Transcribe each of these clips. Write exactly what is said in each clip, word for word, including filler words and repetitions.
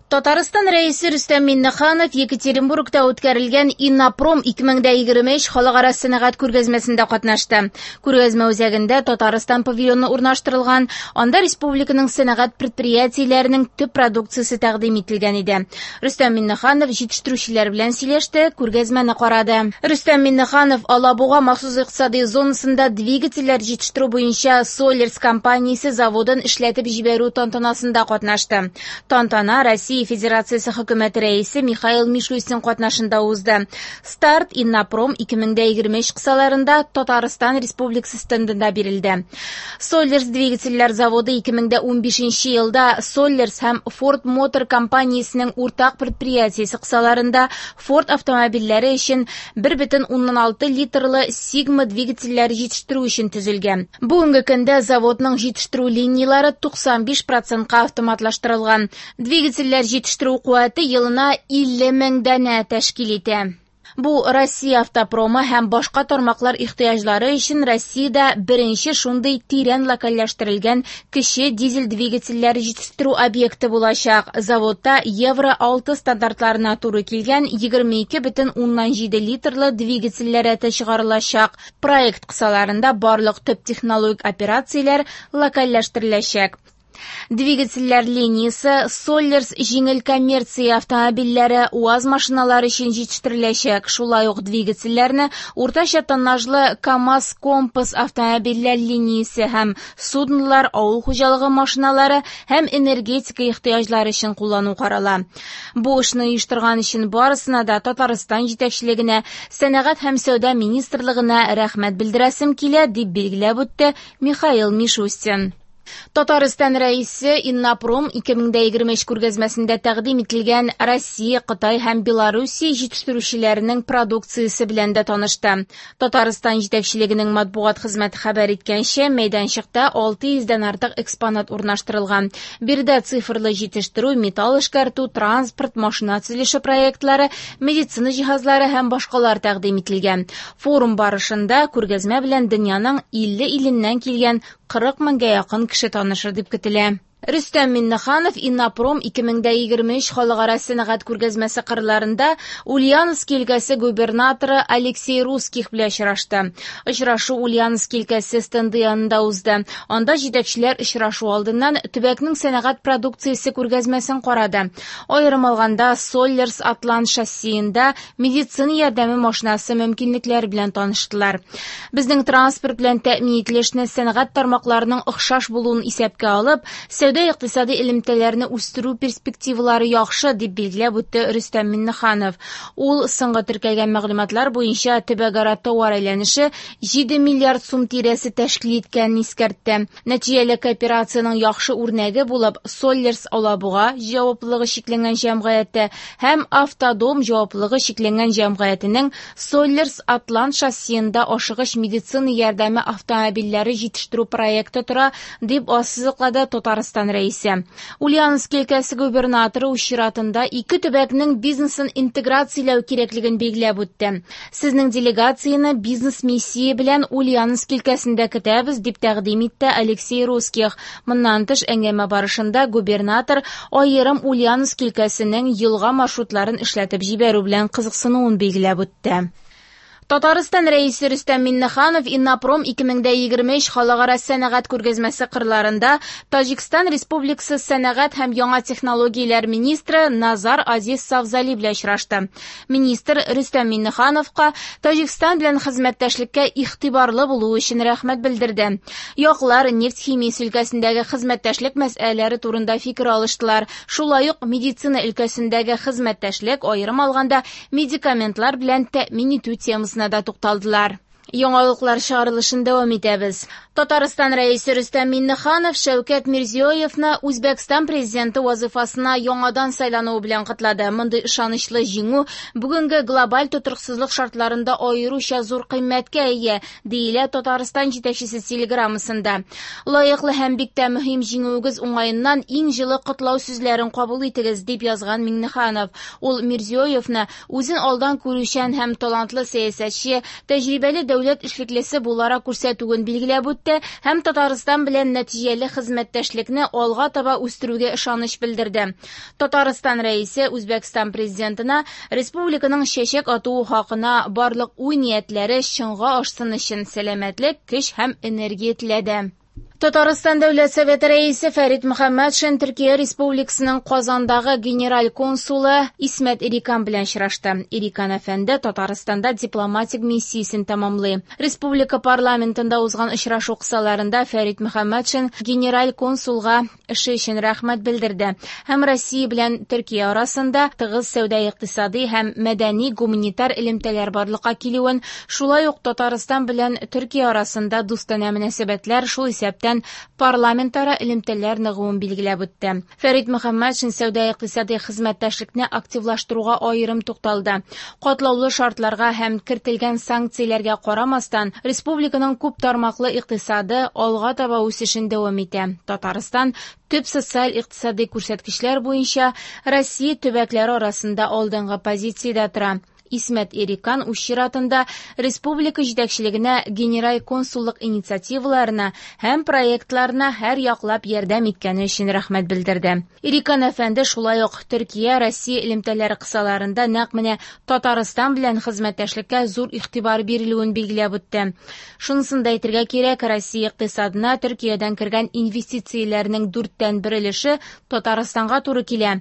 Татарстан Рәисе Рөстәм Миңнеханов Екатеринбургта үткәрелгән Иннопром ике мең егерме өч халыкара сәнәгать күргәзмәсендә катнашты. Күргәзмә үзәгендә Татарстан павильоны урнаштырылган, анда республиканың сәнәгать предприятиеләренең төп продукциясе тәкъдим ителгән иде. Рөстәм Миңнеханов җитештерүчеләр белән сөйләште, күргәзмәне карады. Рөстәм Миңнеханов Алабуга махсус икътисади зонасында двигательләр җитештерү буенча Соллерс компаниясе заводын эшләтеп җибәрү тантанасында катнашты. Тантана Россия Федерациясе хөкүмәте рәисе Михаил Мишустин катнашында узды. Старт Иннопром ике мең егерме өч кысаларында Татарстан Республикасы стендында бирелде. Соллерс двигательләр заводы ике мең унбишенче елда Соллерс һәм Ford Motor компаниясенең уртак предприятиесе кысаларында Ford автомобильләре өчен бер бөтен уннан алты литрлы Sigma двигательләре җитештерү өчен төзелгән. Бүгенге көндә заводның җитештерү линияләре туксан биш процентка автоматлаштырылган. Двигательләр җитештерү куәте елына илле мең данә тәшкил итә. Бу Россия автопромы һәм башка тармаклар ихтыяҗлары өчен Россиядә беренче шундый тирән локальләштерелгән кече дизель двигательләре җитештерү объекты булачак. Заводта Евро алты стандартларына туры килгән егерме ике бөтен уннан җиде литрлы двигательләр рәте чыгарылачак. Проект кысаларында барлык төп технологик операцияләр локальләштереләчәк. Двигательләр линиясе Соллерс җиңел коммерция автомобильләре, УАЗ машиналары өчен җитештереләчәк. Шулай ук двигательләрне уртача тоннажлы КАМАЗ Компас автомобильләр линиясе һәм суднолар, авыл хуҗалыгы машиналары һәм энергетика ихтыяҗлары өчен куллану карала. Бу эшне оештырган өчен барысына да Татарстан җитәкчелегенә, Сәнәгать һәм сәүдә министрлыгына рәхмәт белдерәсем килә, дип билгеләп үтте Михаил Мишустин. Татарстан Рәисе Иннопром ике мең егерме өч күргәзмәсендә тәкъдим ителгән Россия, Кытай һәм Белоруссия җитештерүчеләренең продукциясе белән дә танышты. Татарстан җитәкчелегенең матбугат хезмәте хәбәр иткәнчә, мәйданчыкта алты йөздән артык экспонат урнаштырылган. Биредә цифрлы җитештерү, металл эшкәртү, транспорт, машина төзелеше проектлары, медицина җиһазлары һәм башкалар тәкъдим ителгән. Форум барышында күргәзмә белән дөньяның илле иленнән килгән кырык меңгә якын кеше танышыр дип көтелә. Рөстәм Миңнеханов Иннопром ике мең егерме өч халыкара сәнәгать күргәзмәсе кырларында Ульяновск өлкәсе губернаторы Алексей Русских белән очрашты. Очрашу Ульяновск өлкәсе стенды янында узды. Анда җитәкчеләр очрашу алдыннан төбәкнең сәнәгать продукциясе күргәзмәсен карады. Аерым алганда, Соллерс Атлант шассиенда медицина ярдәме машинасы мөмкинлекләре белән таныштылар. Безнең транспорт белән тәэмин ителешне сәнәгать тармакларының охшаш булуын исәпкә алып, сәүдә икътисади элемтәләрне үстерү перспективалары яхшы, дип билгеләп үтте Рөстәм Миңнеханов. Ул соңгы теркәлгән мәгълүматлар буенча төбәкара товар әйләнеше җиде миллиард сум тирәсе тәшкил иткәнен искәртте. Нәтиҗәле кооперациянең яхшы үрнәге булып Соллерс Алабуга җаваплылыгы чикләнгән җәмгыяте һәм Автодом җаваплылыгы чикләнгән җәмгыятенең Соллерс Атлант шассиенда ашыгыч медицина ярдәме автомобильләре җитештерү проекты тора, дип ассызыклады Татарстан Рәисе. Ульяновск өлкәсе губернаторы үз чиратында ике төбәкнең бизнесын интеграцияләү кирәклеген билгеләп үтте. Сезнең делегацияне бизнес миссия белән Ульяновск өлкәсендә көтәбез, дип тәкъдим итте Алексей Русских. Моннан тыш, әңгәмә барышында губернатор аерым Ульяновск өлкәсенең елга маршрутларын эшләтеп җибәрү белән кызыксынуын билгеләп үтте. Татарстан Рәисе Рөстәм Миңнеханов Иннопром ике мең егерме өч халыкара сәнәгать күргәзмәсе кырларында Таҗикстан Республикасы сәнәгать һәм яңа технологияләр министры Назар Азиз Савзали белән очрашты. Министр Рөстәм Миңнехановка Таҗикстан белән хезмәттәшлеккә игътибарлы булуы өчен рәхмәт белдерде. Яклар нефть химиясе өлкәсендәге хезмәттәшлек мәсьәләләре турында фикер алыштылар. Шулай ук медицина өлкәсендәге хезмәттәшлек, аерым алганда, медикаментлар белән тәэмин итү темасына да тукталдылар. Яңалыклар чыгарылышын дәвам итәбез. Татарстан Рәисе Рөстәм Миңнеханов Шәүкәт Мирзиёевны Үзбәкстан президенты вазифасына яңадан сайлануы белән котлады. Мондый ышанычлы җиңү бүгенге глобаль тотрыксызлык шартларында аеруча зур кыйммәткә ия, диелә Татарстан җитәкчесе телеграммасында. Лаеклы һәм бик тә мөһим җиңүегез уңаеннан иң җылы котлау сүзләрен кабул итегез, дип язган Миңнеханов. Ул Мирзиёевны үзен алдан күрүчән һәм талантлы сәясәтче, тәҗрибәле дәүләт эшлеклесе буларак күрсәтүен билгеләп үтте һәм Татарстан белән нәтиҗәле хезмәттәшлекне алга таба үстерүгә ышаныч белдерде. Татарстан Рәисе Үзбәкстан президентына республиканың чәчәк атуы хакына барлык уй-ниятләре чынга ашсын өчен сәламәтлек, көч һәм энергия теләде. Татарстан Дәүләт Советы Рәисе Фәрит Мөхәммәтшин Төркия Республикасының Казандагы генераль консулы Исмәт Эрикан белән очрашты. Эрикан әфәнде Татарстанда дипломатик миссиясен тәмамлый. Республика парламентында узган очрашу кысаларында Фәрит Мөхәммәтшин генераль консулга эше өчен рәхмәт белдерде һәм Россия белән Төркия арасында тыгыз сәүдә-икътисади һәм мәдәни-гуманитар элемтәләр барлыкка килүен, шулай ук Татарстан белән Төркия арасында дустанә мөнәсәбәтләр, шул исәптән парламентара элемтәләр ныгуын билгеләп үтте. Фәрит Мөхәммәтшин сәүдә-икътисади хезмәттәшлекне активлаштыруга аерым тукталды. Катлаулы шартларга һәм кертелгән санкцияләргә карамастан, республиканың күп тармаклы икътисады алга таба үсешен дәвам итә. Татарстан төп социаль-икътисади күрсәткечләр буенча Россия төбәкләре арасында алдынгы позициядә тора. Исмәт Эрикан үз чиратында республика җитәкчелегенә генераль консуллык инициативаларына һәм проектларына һәр яклап ярдәм иткәне өчен рәхмәт белдерде. Эрикан әфәнде шулай ук Төркия Россия элемтәләре кысаларында нәкъ менә Татарстан белән хезмәттәшлеккә зур игътибар бирелүен билгеләп үтте. Шунысын да әйтергә кирәк, Россия икътисадына Төркиядән кергән инвестицияләрнең дүрттән бер өлеше Татарстанга туры килә.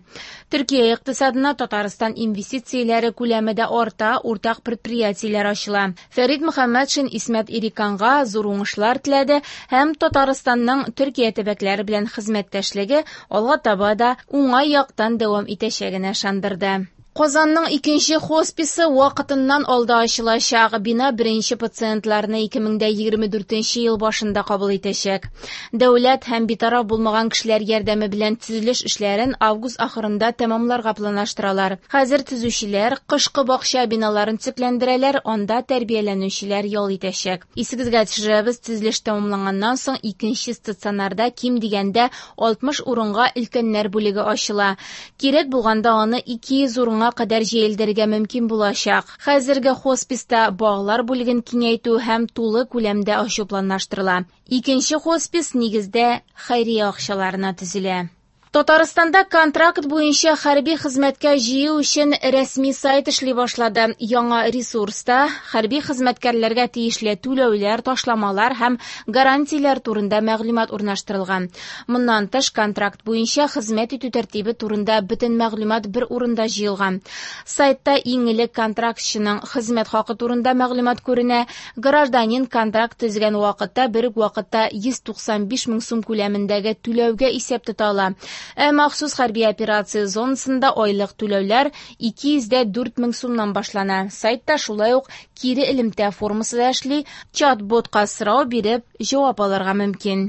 Төркия икътисадына Татарстан инвестицияләре күләме дә арта, уртак предприятиеләр ачыла. Фәрит Мөхәммәтшин Исмәт Эриканга зур уңышлар теләде һәм Татарстанның Төркия төбәкләре белән хезмәттәшлеге алга таба да уңай яктан дәвам итәчәгенә ышандырды. Казанның икенче хосписы вакытыннан алда ачылачак. Бина беренче пациентларны ике мең егерме дүртенче ел башында кабул итәчәк. Дәүләт һәм битараф булмаган кешеләр ярдәме белән төзелеш эшләрен август ахырында тәмамларга планлаштыралар. Хәзер төзүчеләр кышкы бакча биналарын төзекләндерәләр, анда тәрбияләнүчеләр ял итәчәк. Исегезгә төшерәбез, төзелеш тәмамланганнан соң икенче стационарда ким дигәндә алтмыш урынга өлкәннәр бүлеге ачыла. Кирәк булганда аны ике йөз урынга кадәр җәелдерергә мөмкин булачак. Хәзерге хосписта балалар бүлеген киңәйтү һәм тулы күләмдә ачу планлаштырыла. Икенче хоспис нигездә хәйрия акчаларына төзелә. Татарстанда контракт буенча хәрби хезмәткә җыю өчен рәсми сайт эшли башлады. Яңа ресурста хәрби хезмәткәрләргә тиешле түләүләр, ташламалар һәм гарантияләр турында мәгълүмат урнаштырылган. Моннан тыш контракт буенча хезмәт итү тәртибе турында бөтен мәгълүмат бер урында җыелган. Сайтта иң элек контрактчының хезмәт хакы турында мәгълүмат күренә. Гражданин контракт төзегән вакытта бер үк вакытта йөз туксан биш мең сум күләмендәге түләүгә исәп тота ала. Ә махсус хәрби операция зонасында айлык түләүләр ике йөз дә дүрт мең сумнан башлана. Сайтта шулай ук кире элемтә формасы да эшли, чат-ботка сорау биреп җавап алырга мөмкин.